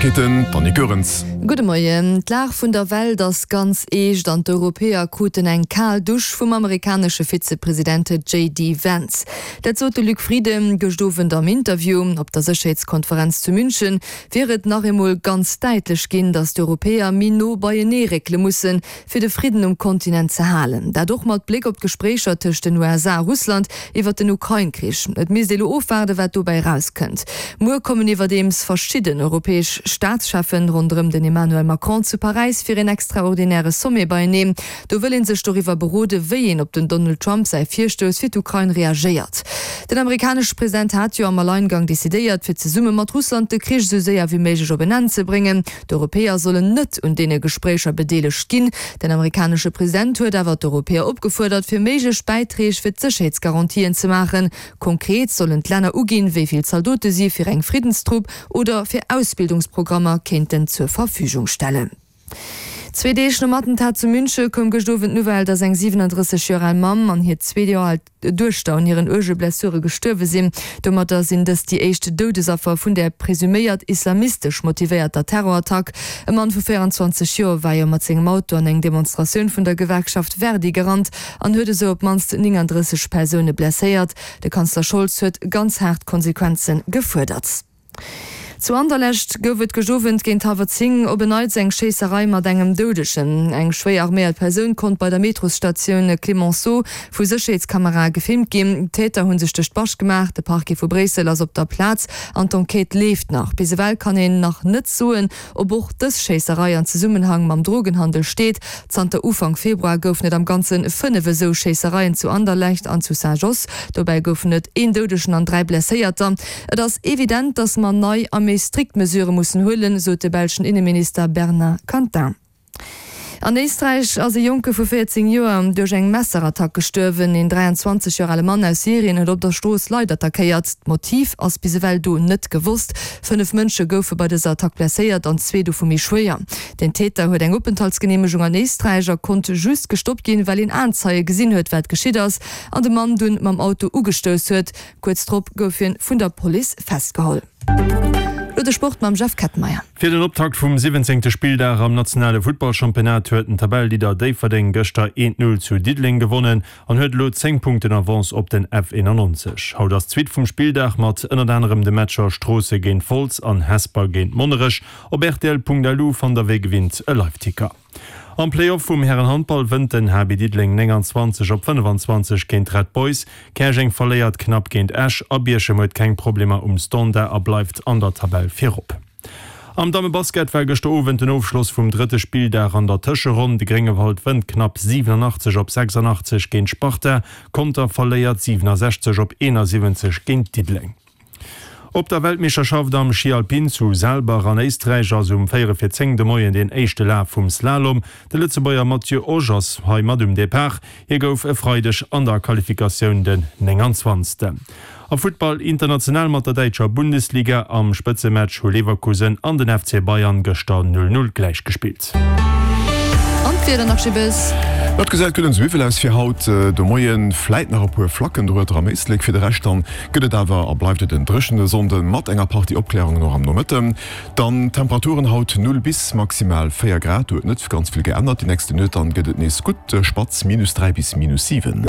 Neiegkeeten, d'Annie Goerens. Gudde Moien. D'Lag vun der Welt ass ganz eescht an d'Europäer kruten eng kal Dusch vum amerikanesche Vizepresident JD Vance. Dat sot de Luc Frieden gëscht Owend am Interview. Op der Sécherheetskonferenz zu München wier et nach eemol ganz däitlech ginn, datt d'Europäer méi no beienee réckele mussen, fir de Fridden um Kontinent ze halen. Dat och mat Bléck op d'Gespréicher tëscht den USA a Russland iwwer den Ukrain-Krich. Et misst ee lo ofwaarden, wat dobäi erauskënnt. Muer kommen iwwerdeems verschidden europäesch Staatscheffen ronderëm den Emmanuel Macron zu Paräis fir een extraordinäre Sommet beieneen. Do wëll ee sech doriwwer beroden, wéi een op den Donald Trump säi Virstouss fir d'Ukrain reagéiert. Den amerikanesche President hat jo am Alleingang decidéiert, fir zesumme mat Russland de Krich esou séier wéi méiglech op en Enn ze bréngen. D'Europäer sollen net un deene Gespréicher bedeelegt ginn. Den amerikanesche President huet awer d'Europäer opgefuerdert, fir méiglech Bäitreeg fir d'Sécherheetsgarantien ze maachen. Konkret sollen d'Länner uginn, wéi vill Zaldote si fir eng Friddenstrupp oder fir Ausbildungsprogrammer kéinten zur Verfügung stellen. Zwee Deeg nom Attentat zu Münche koum gëscht Owend d'Nouvelle, datt eng 37 Joer al Mamm an hir zwee Joer al. Duechter un hiren uerge Blessure gestuerwe sinn. Domatter sinn dës déi éischt Doudesaffer vun där presuméiert islamistesch motivéierter Terrorattack. E Mann vu 24 Joer war jo mat sengem Auto an eng Demonstratioun vun der Gewerkschaft Verdi gerannt an huet esou op d'mannst 39 Persoune blesséiert. De Kanzler Scholz huet ganz haart Konsequenze gefuerdert. Zu Anderlecht gouf et gëscht Owend géint hallwer 10 op en Neits eng Schéisserei mat engem Doudegen. Eng schwéier arméiert Persoun konnt bei der Metrosstatioun Clemenceau vu Sécherheetskamerae gefilmt ginn. D'Täter hu sech duerch d'Bascht gemaach. De Parquet vu Bréissel ass op der Plaz an d'Enquête leeft nach. Bis ewell kann een nach net soen, Ob och dës Schéisserei an Zesummenhang mam Drogenhandel steet? Zanter Ufank Februar goufen et am Ganze 5 esou Schéissereien zu Anderlecht an zu Saint-Josse. Dobäi goufen et een Doudegen an 3 Blesséierter. Et ass evident, datt mer nei a méi strikt Mesurë mussen huelen, sot de belschen Inneminister Bernard Quintin. An Éisträich ass e Jonke vu 14 Joer duerch eng Messerattack gestuerwen. Een 23 Joer ale Mann aus Syrien huet op der Strooss Leit attackéiert. D'Motiv ass bis ewell do net gewosst. 5 Mënsche goufe bei dëser Attack blesséiert an zwee dovu méi schwéier. Den Täter huet eng Openthaltsgeneemegung an Éisträich a konnt just gestoppt ginn, well een Aenzeie gesinn huet, wat geschitt ass an de Mann dunn mam Auto ugestouss huet. Kuerz drop gouf hien vun der Police festgeholl. Lo de Sport mam Jeff Kettenmeyer. Fir den Optakt vum 17. Spilldag am nationale Futtballchampionnat huet den Tabelleleader Déifferdeng gëschter 1, 0 zu Diddeleng gewonnen an huet elo 10 Punkten Avance op den F91. Haut ass d'Suite vum Spilldag mat ënnert anerem de Matcher Stroosse géint Wolz an Hesper géint Monnerech. Op rtl.lu fannt der wéi gewinnt e Liveticker. Am Play-Off vum Härenhandball wënnt den HB Diddeleng 29 op 25 géint d'Red Boys. Käerjeng verléiert knapp géint Esch a Bierchem huet keng Problemer um Standard a bleift an der Tabell virop. Am Dammebasket war gëschter Owend den Ofschloss vum drëtte Spilldag an der Tëscheronn. De Gréngewald wënnt knapp 87 op 86 géint Sparta, Conter verléiert 67 op 71 géint Diddeleng. Op der Weltmeeschterschaft am Schi Alpin zu Saalbach an Éisträich ass um 4 vir 10 de Moien deen éischte Laf vum Slalom. De Lëtzebuerger Matthieu Osch ass hei mat um Depart. Hie gouf e Freideg an der Qualifikatioun den 29. Am Futtball international mat der däitscher Bundesliga, Am Spëtzematch hu Leverkusen an den FC Bayern gëschter 0, 0 gläichgespillt. An d'Wieder nach Gibes. Dat gesäit gutt an sou aus fir haut de Moien. Fläit nach e puer Flacken dorueter am Éislek, fir de Rescht dann gëtt et awer a bleift et en dréchene Sonnde mat enger Partie Opklärungen och am Nomëtten. Dann d'Temperaturen haut 0 bis maximal 4 Grad, do huet net ganz vill geännert. Déi nächste Nuet dann gëtt et nees gutt spatz, minus 3 bis minus 7.